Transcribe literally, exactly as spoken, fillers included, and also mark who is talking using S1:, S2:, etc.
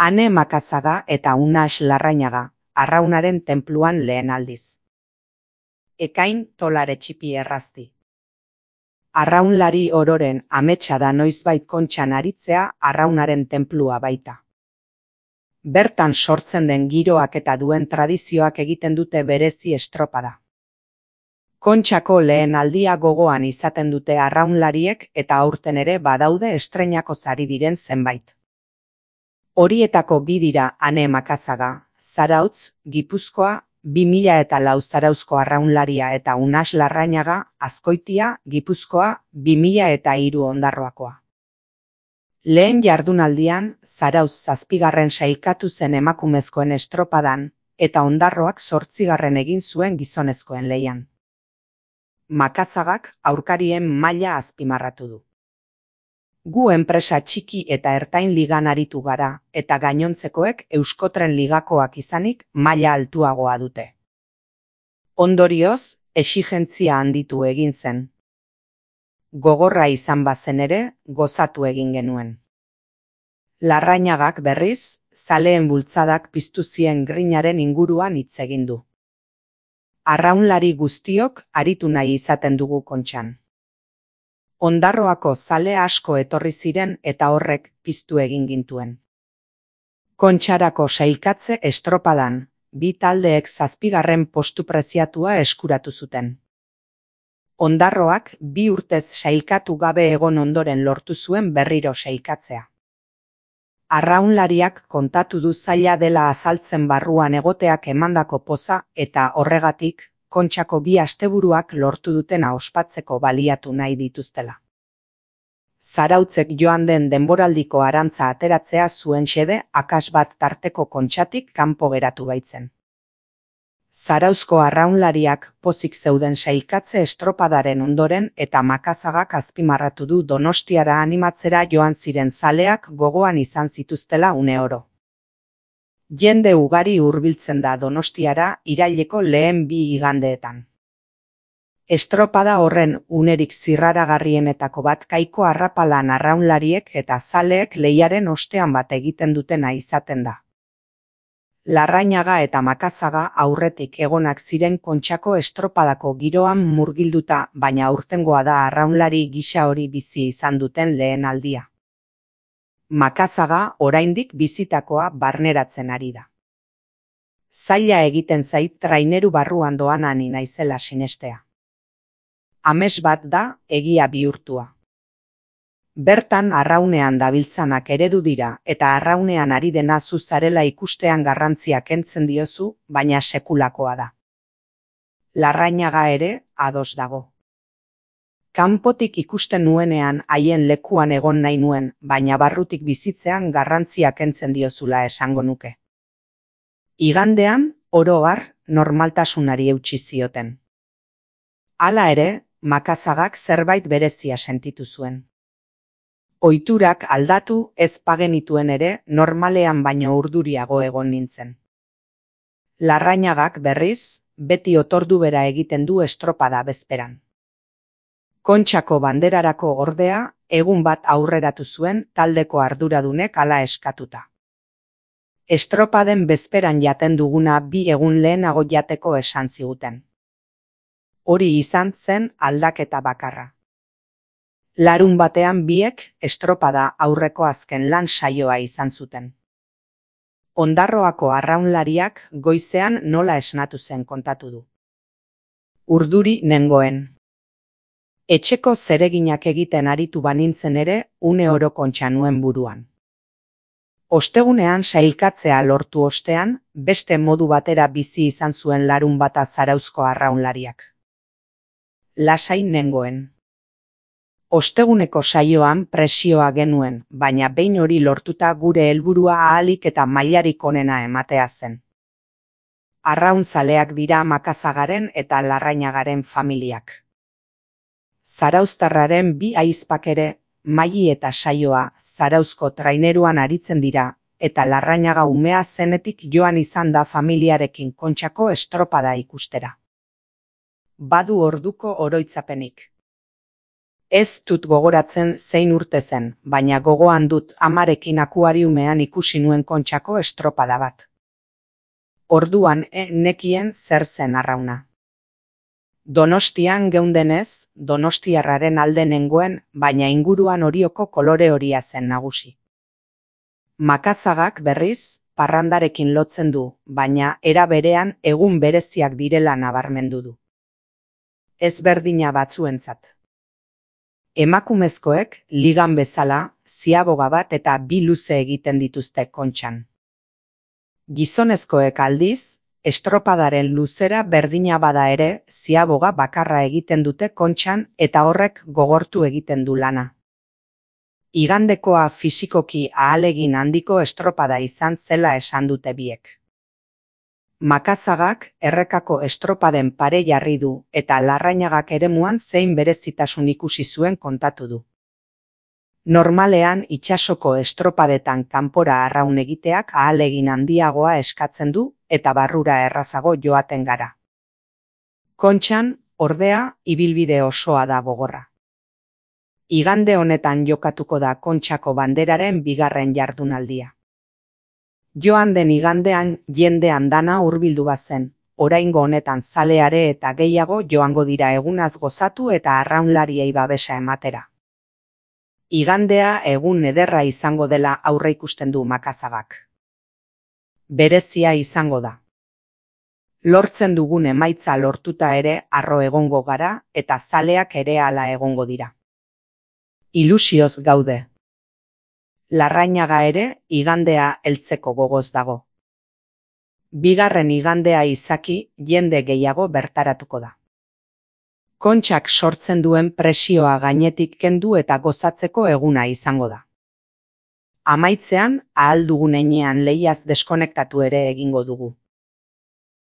S1: Ane Makazaga eta Unax Larrañaga, Arraunaren tenpluan lehen aldiz. Ekain tolare txipi errazti. Arraunlari ororen ametsa da noizbait kontxan aritzea Arraunaren tenplua baita. Bertan sortzen den giroak eta duen tradizioak egiten dute berezi estropada. Kontxako lehen aldia gogoan izaten dute arraunlariek eta aurten ere badaude estreinako sari diren zenbait. Horietako bi dira Ane Makazaga, Zarautz, Gipuzkoa, bi mila eta lau Zarauzko arraunlaria eta Unax Larrañaga, Azkoitia, Gipuzkoa, bi mila eta hiru Ondarroakoa. Lehen jardunaldian, Zarautz zazpigarren sailkatu zen emakumezkoen estropadan, eta Ondarroak zortzigarren egin zuen gizonezkoen lehian. Makazagak aurkarien maila azpimarratu du. Gu enpresa txiki eta ertain ligan aritu gara, eta gainontzekoek Euskotren ligakoak izanik maila altuagoa dute. Ondorioz, exigentzia handitu egin zen. Gogorra izan bazen ere, gozatu egin genuen. Larrañagak berriz, zaleen bultzadak piztu zien grinaren inguruan hitz egin du. Arraunlari guztiok aritu nahi izaten dugu kontxan. Ondarroako zale asko etorri ziren eta horrek piztu egin gintuen. Kontxarako sailkatze estropadan, bi taldeek zazpigarren postu preziatua eskuratu zuten. Ondarroak bi urtez sailkatu gabe egon ondoren lortu zuen berriro sailkatzea. Arraunlariak kontatu du zaila dela azaltzen barruan egoteak emandako poza eta horregatik, Kontxako bi asteburuak lortu dutena ospatzeko baliatu nahi dituztela. Zarautzek joan den denboraldiko arantza ateratzea zuen xede akas bat tarteko kontxatik kanpo geratu baitzen. Zarauzko arraunlariak pozik zeuden sailkatze estropadaren ondoren eta Makazagak azpimarratu du Donostiara animatzera joan ziren zaleak gogoan izan zituztela une oro. Jende ugari hurbiltzen da Donostiara iraileko lehen bi igandeetan. Estropada horren unerik zirraragarrienetako bat Kaiko Arrapalan arraunlariek eta zaleek lehiaren ostean bat egiten dutena izaten da. Larrañaga eta Makazaga aurretik egonak ziren Kontxako estropadako giroan murgilduta, baina aurtengoa da arraunlari gisa hori bizi izan duten lehen aldia. Makazaga oraindik bizitakoa barneratzen ari da. Zaila egiten zait traineru barruan doan ani naizela sinestea. Ames bat da egia bihurtua. Bertan arraunean dabiltzanak eredu dira eta arraunean ari dena zu zarela ikustean garrantzia kentzen diozu, baina sekulakoa da. Larrañaga ere ados dago. Kanpotik ikusten nuenean haien lekuan egon nahi nuen, baina barrutik bizitzean garrantzia kentzen diozula esango nuke. Igandean, oro har, normaltasunari eutsi zioten. Hala ere, Makazagak zerbait berezia sentitu zuen. Ohiturak aldatu ez pagenituen ere normalean baino urduriago egon nintzen. Larrañagak berriz, beti otordu bera egiten du estropada bezperan. Kontxako banderarako ordea, egun bat aurreratu zuen taldeko arduradunek hala eskatuta. Estropaden bezperan jaten duguna bi egun lehenago jateko esan ziguten. Hori izan zen aldaketa bakarra. Larun batean biek estropada aurreko azken lan saioa izan zuten. Ondarroako arraunlariak goizean nola esnatu zen kontatu du. Urduri nengoen. Etxeko zereginak egiten aritu banintzen ere une oro kontxa nuen buruan. Ostegunean sailkatzea lortu ostean, beste modu batera bizi izan zuen larun bata Zarauzko arraunlariak. Lasai nengoen. Osteguneko saioan presioa genuen, baina behin hori lortuta gure helburua ahalik eta mailarik onena ematea zen. Arraunzaleak dira Makazagaren eta Larrañagaren familiak. Zarauztarraren bi ahizpak ere, Maili eta Saioa Zarauzko traineruan aritzen dira, eta Larrañaga umea zenetik joan izan da familiarekin Kontxako estropada ikustera. Badu orduko oroitzapenik. Ez dut gogoratzen zein urte zen, baina gogoan dut amarekin akuariumean ikusi nuen Kontxako estropada bat. Orduan e nekien zer zen arrauna. Donostian geundenez, donostiarraren alde nengoen, baina inguruan Orioko kolore horia zen nagusi. Makazagak berriz, parrandarekin lotzen du, baina era berean egun bereziak direla nabarmendu du. Ezberdina batzuentzat. Emakumezkoek, ligan bezala, ziaboga bat eta bi luze egiten dituzte Kontxan. Gizonezkoek aldiz, estropadaren luzera berdina bada ere, ziaboga bakarra egiten dute Kontxan eta horrek gogortu egiten du lana. Igandekoa fisikoki ahalegin handiko estropada izan zela esan dute biek. Makazagak errekako estropaden pare jarri du eta Larrañagak eremuan zein berezitasun ikusi zuen kontatu du. Normalean itsasoko estropadetan kanpora arraun egiteak ahalegin handiagoa eskatzen du eta barrura errazago joaten gara. Kontxan, ordea, ibilbide osoa da gogorra. Igande honetan jokatuko da Kontxako banderaren bigarren jardunaldia. Joan den igandean jende andana hurbildu bazen, oraingo honetan zaleare eta gehiago joango dira egunaz gozatu eta arraunlariei babesa ematera. Igandea egun ederra izango dela aurreikusten du Makazagak. Berezia izango da. Lortzen dugun emaitza lortuta ere harro egongo gara eta zaleak ere hala egongo dira. Ilusioz gaude. Larrañaga ere igandea heltzeko gogoz dago. Bigarren igandea izaki jende gehiago bertaratuko da. Kontxak sortzen duen presioa gainetik kendu eta gozatzeko eguna izango da. Amaitzean, ahal dugun heinean lehiaz deskonektatu ere egingo dugu.